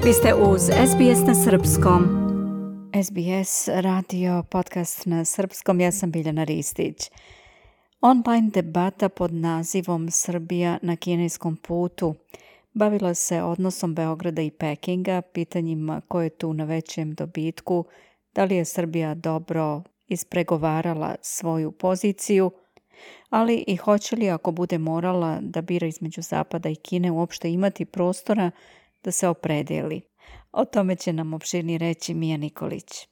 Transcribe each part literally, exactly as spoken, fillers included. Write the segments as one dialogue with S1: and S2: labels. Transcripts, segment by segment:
S1: Vi ste uz S B S na srpskom. S B S radio podcast na srpskom, ja sam Biljana Ristić. Online debata pod nazivom Srbija na kineskom putu bavila se odnosom Beograda i Pekinga, pitanjima ko je tu na većem dobitku, da li je Srbija dobro ispregovarala svoju poziciju, ali i hoće li, ako bude morala da bira između Zapada i Kine, uopšte imati prostora da se opredeli. O tome će nam opširnije reći Mija Nikolić.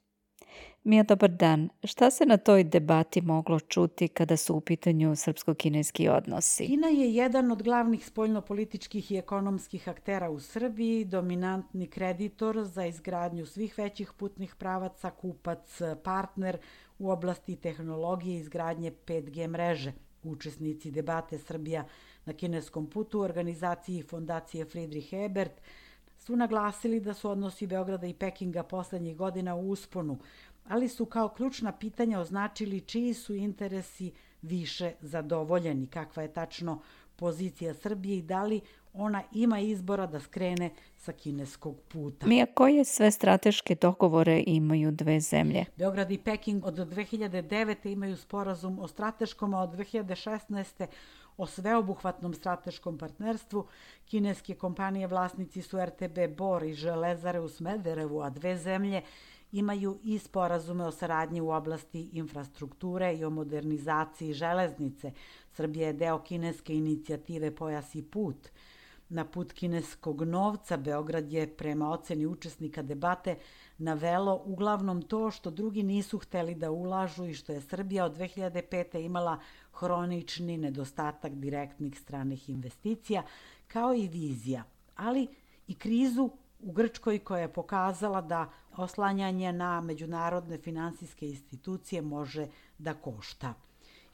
S1: Mija, dobar dan. Šta se na toj debati moglo čuti kada su u pitanju srpsko-kineski odnosi?
S2: Kina je jedan od glavnih spoljnopolitičkih i ekonomskih aktera u Srbiji, dominantni kreditor za izgradnju svih većih putnih pravaca, kupac, partner u oblasti tehnologije i izgradnje pet G mreže. Učesnici debate Srbija na kineskom putu u organizaciji Fondacije Friedrich Ebert su naglasili da su odnosi Beograda i Pekinga poslednjih godina u usponu, ali su kao ključna pitanja označili čiji su interesi više zadovoljeni, kakva je tačno pozicija Srbije i da li ona ima izbora da skrene sa kineskog puta.
S1: Mija, koje sve strateške dogovore imaju dve zemlje?
S2: Beograd i Peking od dve hiljade devete. imaju sporazum o strateškom, a od dve hiljade šesnaeste. o sveobuhvatnom strateškom partnerstvu. Kineske kompanije vlasnici su R T B Bor i Železare u Smederevu, a dve zemlje imaju i sporazume o saradnji u oblasti infrastrukture i o modernizaciji železnice. Srbija je deo kineske inicijative Pojas i put. Na put kineskog novca Beograd je, prema oceni učesnika debate, navelo uglavnom to što drugi nisu hteli da ulažu i što je Srbija od dve hiljade pete. imala hronični nedostatak direktnih stranih investicija, kao i vizija, ali i krizu u Grčkoj koja je pokazala da oslanjanje na međunarodne finansijske institucije može da košta.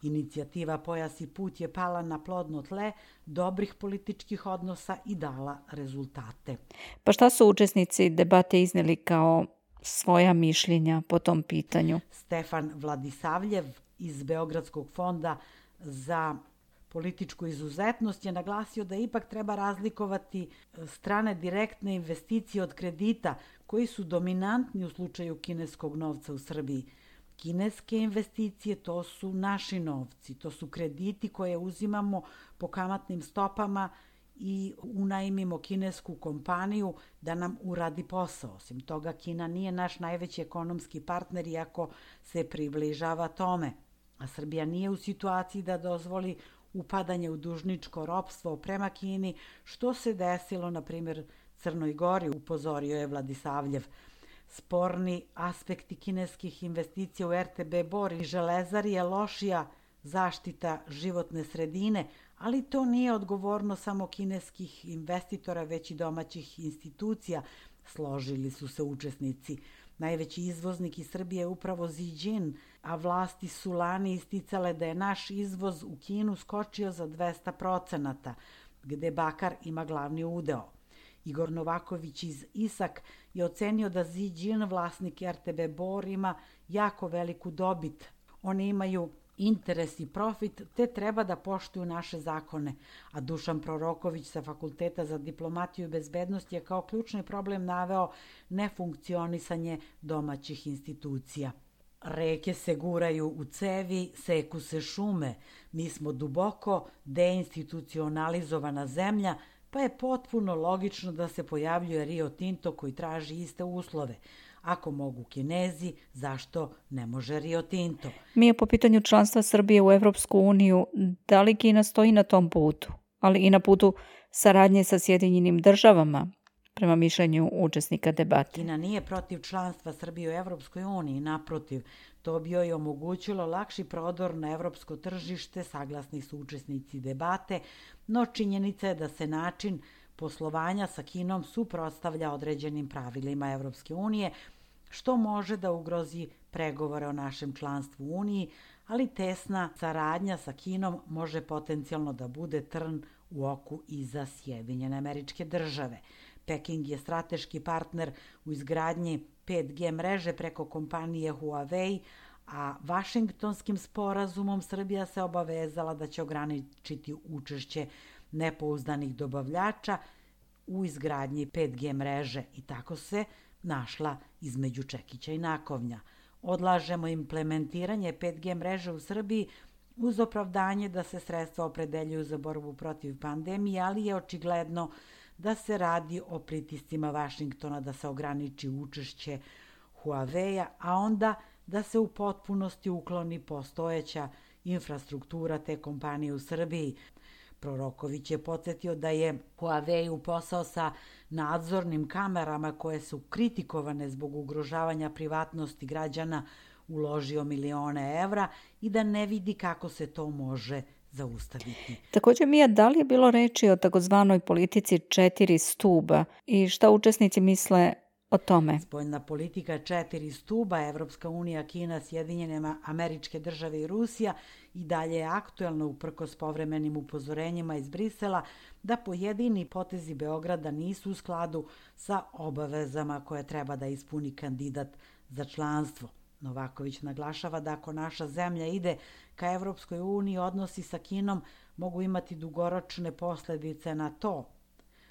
S2: Inicijativa Pojas i put je pala na plodno tle dobrih političkih odnosa i dala rezultate.
S1: Pa šta su učesnici debate izneli kao svoja mišljenja po tom pitanju?
S2: Stefan Vladisavljev iz Beogradskog fonda za političku izuzetnost je naglasio da ipak treba razlikovati strane direktne investicije od kredita koji su dominantni u slučaju kineskog novca u Srbiji. Kineske investicije, to su naši novci, to su krediti koje uzimamo po kamatnim stopama i unajmimo kinesku kompaniju da nam uradi posao. Osim toga, Kina nije naš najveći ekonomski partner, iako se približava tome. A Srbija nije u situaciji da dozvoli upadanje u dužničko ropstvo prema Kini, što se desilo, na primjer, Crnoj Gori, upozorio je Vladisavljev. Sporni aspekti kineskih investicija u R T B Bor i Železari je lošija zaštita životne sredine, ali to nije odgovorno samo kineskih investitora, već i domaćih institucija, složili su se učesnici. Najveći izvoznik iz Srbije je upravo Ziđin, a vlasti su lani isticale da je naš izvoz u Kinu skočio za dvesta procenata, gde bakar ima glavni udeo. Igor Novaković iz Isak je ocenio da Ziđin, vlasnik R T B Bor, ima jako veliku dobit. Oni imaju interes i profit, te treba da poštuju naše zakone. A Dušan Proroković sa Fakulteta za diplomatiju i bezbednost je kao ključni problem naveo nefunkcionisanje domaćih institucija. Reke se guraju u cevi, seku se šume. Mi smo duboko deinstitucionalizovana zemlja, pa je potpuno logično da se pojavljuje Rio Tinto koji traži iste uslove. Ako mogu Kinezi, zašto ne može Rio Tinto?
S1: Mi je po pitanju članstva Srbije u Evropsku uniju, da li Kina stoji na tom putu, ali i na putu saradnje sa Sjedinjenim državama, prema mišljenju učesnika debate?
S2: Kina nije protiv članstva Srbije u Evropskoj uniji, naprotiv, to bi joj omogućilo lakši prodor na evropsko tržište, saglasni su učesnici debate, no činjenica je da se način poslovanja sa Kinom suprotstavlja određenim pravilima Evropske unije, što može da ugrozi pregovore o našem članstvu u Uniji, ali tesna saradnja sa Kinom može potencijalno da bude trn u oku i za Sjedinjene Američke Države. Peking je strateški partner u izgradnji pet G mreže preko kompanije Huawei, a Vašingtonskim sporazumom Srbija se obavezala da će ograničiti učešće nepouzdanih dobavljača u izgradnji pet G mreže i tako se našla između čekića i nakovnja. Odlažemo implementiranje pet G mreže u Srbiji uz opravdanje da se sredstva opredeljuju za borbu protiv pandemije, ali je očigledno da se radi o pritiscima Vašingtona da se ograniči učešće Huawei-a, a onda da se u potpunosti ukloni postojeća infrastruktura te kompanije u Srbiji. Proroković je podsjetio da je Huawei u posao sa nadzornim kamerama koje su kritikovane zbog ugrožavanja privatnosti građana uložio milione evra i da ne vidi kako se to može zaustaviti.
S1: Također, Mija, da li je bilo reči o takozvanoj politici četiri stuba i šta učesnici misle o tome?
S2: Spoljna politika četiri stuba, Evropska unija, Kina, Sjedinjene Američke Države i Rusija i dalje je aktuelna uprkos povremenim upozorenjima iz Brisela da pojedini potezi Beograda nisu u skladu sa obavezama koje treba da ispuni kandidat za članstvo. Novaković naglašava da ako naša zemlja ide ka Evropskoj uniji, odnosi sa Kinom mogu imati dugoročne posledice na to.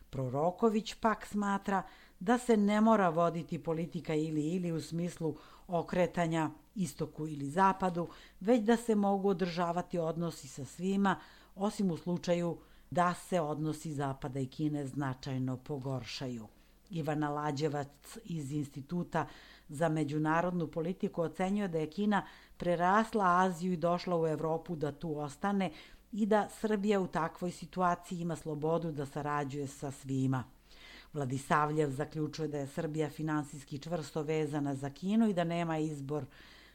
S2: Proroković pak smatra da se ne mora voditi politika ili ili u smislu okretanja istoku ili zapadu, već da se mogu održavati odnosi sa svima, osim u slučaju da se odnosi Zapada i Kine značajno pogoršaju. Ivana Lađevac iz Instituta za međunarodnu politiku ocenjuje da je Kina prerasla Aziju i došla u Evropu da tu ostane i da Srbija u takvoj situaciji ima slobodu da sarađuje sa svima. Vladisavljev zaključuje da je Srbija finansijski čvrsto vezana za Kinu i da nema izbor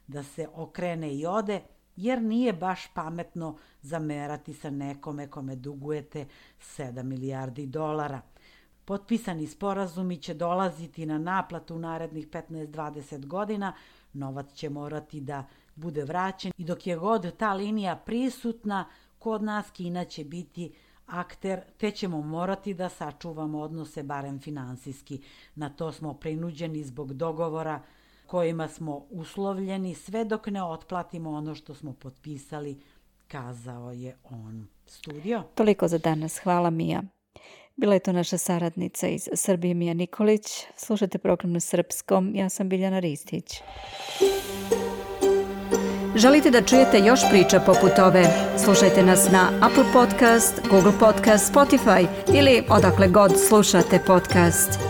S2: da se okrene i ode, jer nije baš pametno zamerati sa nekome kome dugujete sedam milijardi dolara. Potpisani sporazumi će dolaziti na naplatu u narednih petnaest do dvadeset godina, novac će morati da bude vraćen i dok je god ta linija prisutna, kod nas Kina će biti akter, te ćemo morati da sačuvamo odnose barem finansijski. Na to smo prinuđeni zbog dogovora kojima smo uslovljeni sve dok ne otplatimo ono što smo potpisali, kazao je on. Studio.
S1: Toliko za danas. Hvala, Mija. Bila je to naša saradnica iz Srbije, Mija Nikolić. Slušajte program na srpskom. Ja sam Biljana Ristić. Želite da čujete još priča poput ove? Slušajte nas na Apple Podcast, Google Podcast, Spotify ili odakle god slušate podcast.